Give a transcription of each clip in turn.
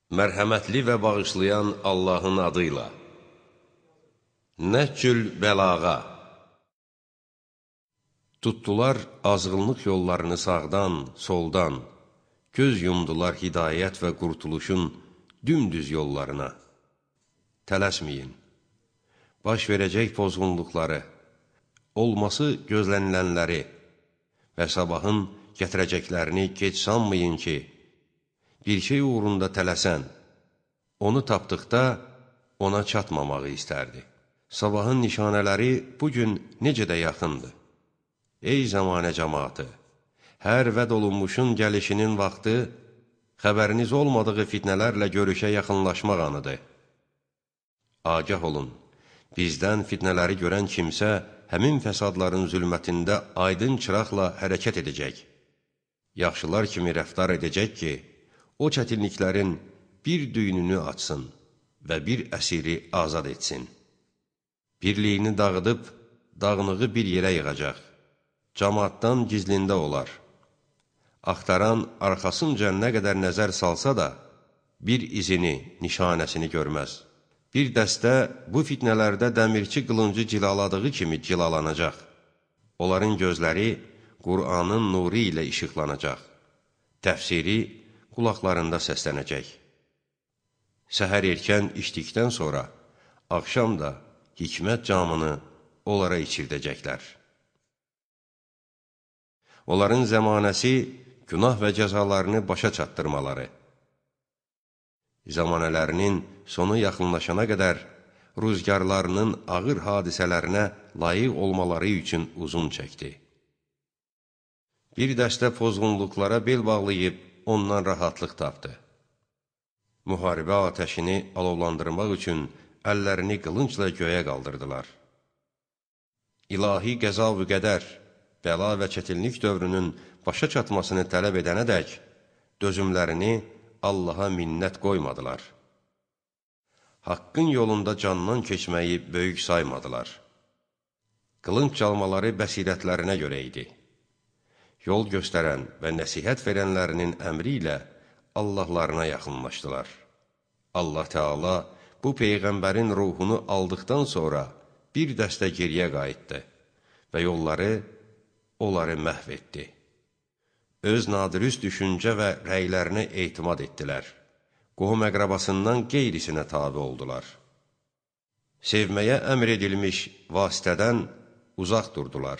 Mərhəmətli və bağışlayan Allahın adıyla. Nəhcül bəlağa. Tutdular azğınlıq yollarını sağdan, soldan, göz yumdular hidayət və qurtuluşun dümdüz yollarına. Tələsməyin. Baş verəcək pozğunluqları, olması gözlənilənləri və sabahın gətirəcəklərini gec sanmayın ki, bir şey uğrunda tələsən, onu tapdıqda ona çatmamağı istərdi. Sabahın nişanələri bugün necə də yaxındır. Ey zamanə cəmaatı! Hər vəd olunmuşun gəlişinin vaxtı, xəbəriniz olmadığı fitnələrlə görüşə yaxınlaşmaq anıdır. Agah olun, bizdən fitnələri görən kimsə, həmin fəsadların zülmətində aydın çıraqla hərəkət edəcək. Yaxşılar kimi rəftar edəcək ki, o çətinliklərin bir düyününü açsın və bir əsiri azad etsin. Birliyini dağıdıb, dağınığı bir yerə yığacaq. Camaatdan gizlində olar. Axtaran arxasınca nə qədər nəzər salsa da, bir izini, nişanəsini görməz. Bir dəstə bu fitnələrdə dəmirçi qılıncı cilaladığı kimi cilalanacaq. Onların gözləri Qur'anın nuru ilə işıqlanacaq. Təfsiri qulaqlarında səslənəcək. Səhər erkən içdikdən sonra, axşam da hikmət camını onlara içirdəcəklər. Onların zəmanəsi günah və cəzalarını başa çatdırmaları. Zamanələrinin sonu yaxınlaşana qədər rüzgarlarının ağır hadisələrinə layiq olmaları üçün uzun çəkdi. Bir dəstə pozğunluqlara bel bağlayıb, ondan rahatlıq tapdı. Müharibə atəşini alovlandırmaq üçün əllərini qılıncla göyə qaldırdılar. İlahi qəza və qədər, bəla və çətinlik dövrünün başa çatmasını tələb edənədək, dözümlərini Allaha minnət qoymadılar. Haqqın yolunda candan keçməyi böyük saymadılar. Qılınc çalmaları bəsirətlərinə görə idi. Yol göstərən və nəsihət verənlərinin əmri ilə Allahlarına yaxınlaşdılar. Allah Teala bu Peyğəmbərin ruhunu aldıqdan sonra bir dəstə geriyə qayıtdı və onları məhv etdi. Öz nadirüst düşüncə və rəylərinə etimad etdilər. Qohum-əqrabasından qeyrisinə tabi oldular. Sevməyə əmr edilmiş vasitədən uzaq durdular.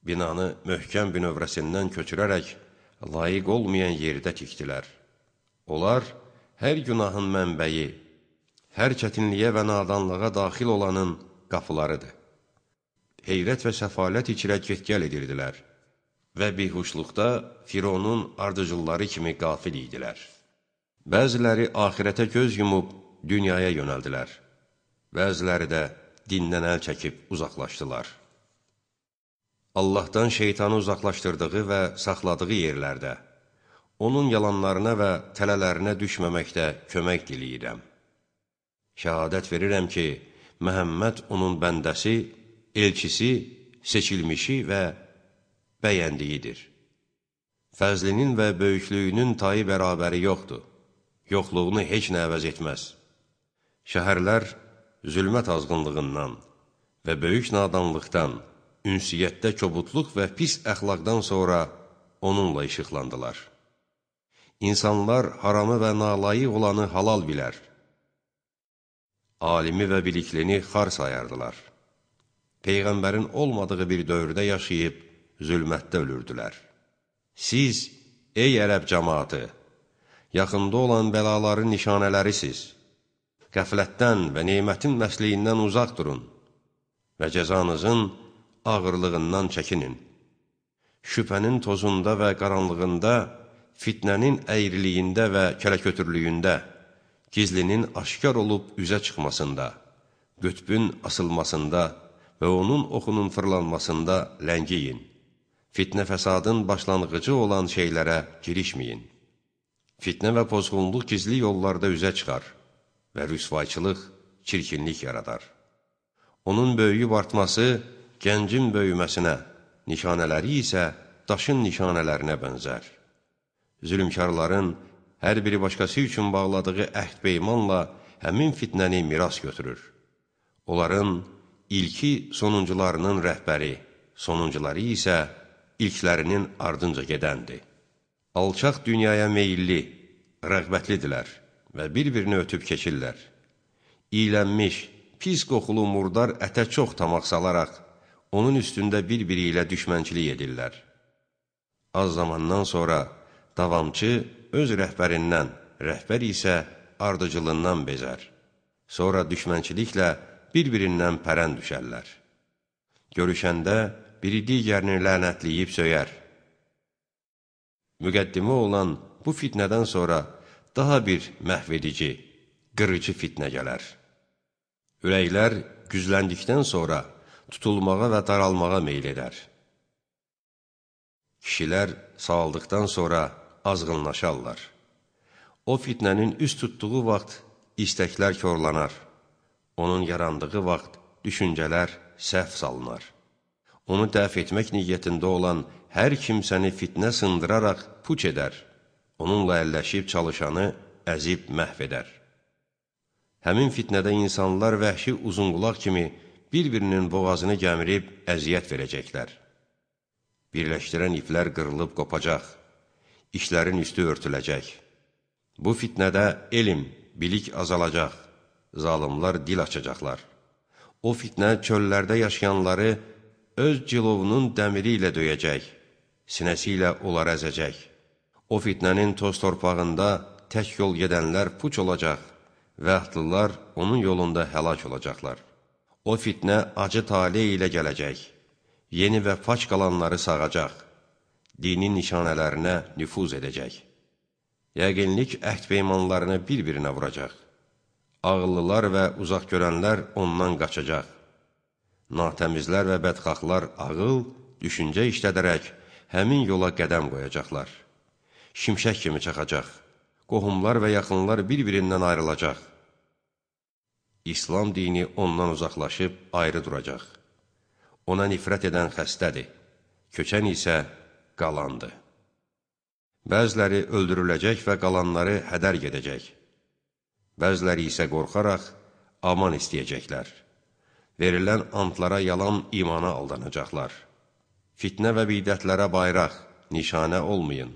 Binanı möhkəm bünövrəsindən köçürərək layiq olmayan yerdə tikdilər. Onlar hər günahın mənbəyi, hər çətinliyə və nadanlığa daxil olanın qapılarıdır. Heyrət və səfalət içrə get-gəl edirdilər və bihuşluqda Fironun ardıcılları kimi qafil idilər. Bəziləri axirətə göz yumub dünyaya yönəldilər. Bəziləri də dindən əl çəkib uzaqlaşdılar. Allahdan şeytanı uzaqlaşdırdığı və saxladığı yerlərdə, onun yalanlarına və tələlərinə düşməməkdə kömək diləyirəm. Şəhadət verirəm ki, Məhəmməd onun bəndəsi, elçisi, seçilmişi və bəyəndiyidir. Fəzlinin və böyüklüyünün tayı bərabəri yoxdur. Yoxluğunu heç nə əvəz etməz. Şəhərlər zülmət azğınlığından və böyük nadanlıqdan, ünsiyyətdə kobudluq və pis əxlaqdan sonra onunla işıqlandılar. İnsanlar haramı və nalayıq olanı halal bilər. Alimi və biliklini xar sayardılar. Peyğəmbərin olmadığı bir dövrdə yaşayıb, zülmətdə ölürdülər. Siz, ey ərəb cəmaatı, yaxında olan bəlaların nişanələrisiz. Qəflətdən və nemətin məsliyindən uzaq durun və cəzanızın ağırlığından çəkinin. Şübhənin tozunda və qaranlığında, fitnənin əyriliyində və kələkötürlüyündə, gizlinin aşkar olub üzə çıxmasında, qütbün asılmasında və onun oxunun fırlanmasında ləngiyin. Fitnə fəsadın başlanğıcı olan şeylərə girişməyin. Fitnə və pozğunluq gizli yollarda üzə çıxar və rüsvayçılıq, çirkinlik yaradar. Onun böyüyüb artması gəncin böyüməsinə, nişanələri isə daşın nişanələrinə bənzər. Zülmkarların Hər biri başqası üçün bağladığı əhd-peymanla həmin fitnəni miras götürür. Onların ilki sonuncularının rəhbəri, sonuncuları isə ilklərinin ardınca gedəndir. Alçaq dünyaya meyilli, rəğbətlidirlər və bir-birini ötüb keçirlər. İylənmiş, pis qoxulu murdar ətə çox tamaq salaraq, onun üstündə bir-biri ilə düşmənçilik edirlər. Az zamandan sonra davamçı öz rəhbərindən, rəhbər isə ardıcılından bezər. Sonra düşmənçiliklə bir-birindən pərən düşərlər. Görüşəndə biri digərini lənətləyib söyər. Müqəddimə olan bu fitnədən sonra daha bir məhvedici, qırıcı fitnə gələr. Ürəklər güzləndikdən sonra tutulmağa və daralmağa meyl edər. Kişilər sağaldıqdan sonra azğınlaşarlar. O fitnənin üst tutduğu vaxt istəklər korlanar. Onun yarandığı vaxt düşüncələr səhv salınar. Onu dəf etmək niyyətində olan hər kimsəni fitnə sındıraraq puç edər. Onunla əlləşib çalışanı əzib məhv edər. Həmin fitnədə insanlar vəhşi uzunqulaq kimi bir-birinin boğazını gəmirib əziyyət verəcəklər. Birləşdirən iplər qırılıb qopacaq, işlərin üstü örtüləcək. Bu fitnədə elm, bilik azalacaq, zalımlar dil açacaqlar. O fitnə çöllərdə yaşayanları öz cilovunun dəmiri ilə döyəcək, sinəsi ilə onları əzəcək. O fitnənin toz torpağında tək yol gedənlər puç olacaq və atlılar onun yolunda həlak olacaqlar. O fitnə acı tale ilə gələcək, yeni və faç qalanları sağacaq, dinin nişanələrinə nüfuz edəcək. Yəqinlik əhd-peymanlarını bir-birinə vuracaq. Ağıllılar və uzaq görənlər ondan qaçacaq. Natəmizlər və bədxahlar ağıl, düşüncə işlədərək həmin yola qədəm qoyacaqlar. Şimşək kimi çaxacaq. Qohumlar və yaxınlar bir-birindən ayrılacaq. İslam dini ondan uzaqlaşıb ayrı duracaq. Ona nifrət edən xəstədir, köçən isə qalandır. Bəziləri öldürüləcək və qalanları hədər gedəcək. Bəziləri isə qorxaraq aman istəyəcəklər. Verilən antlara yalan imana aldanacaqlar. Fitnə və bidətlərə bayraq, nişanə olmayın.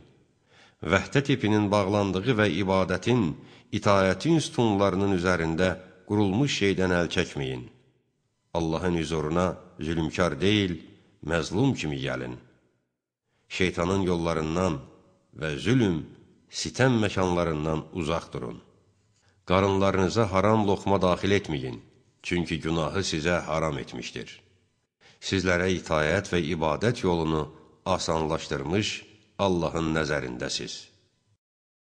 Vəhdət ipinin bağlandığı və ibadətin, itaətin sütunlarının üzərində qurulmuş şeydən əl çəkməyin. Allahın hüzuruna zülmkar deyil, məzlum kimi gəlin. Şeytanın yollarından və zülm, sitəm məkanlarından uzaq durun. Qarınlarınıza haram loxma daxil etməyin, çünki günahı sizə haram etmişdir. Sizlərə itaət və ibadət yolunu asanlaşdırmış Allahın nəzərindəsiz.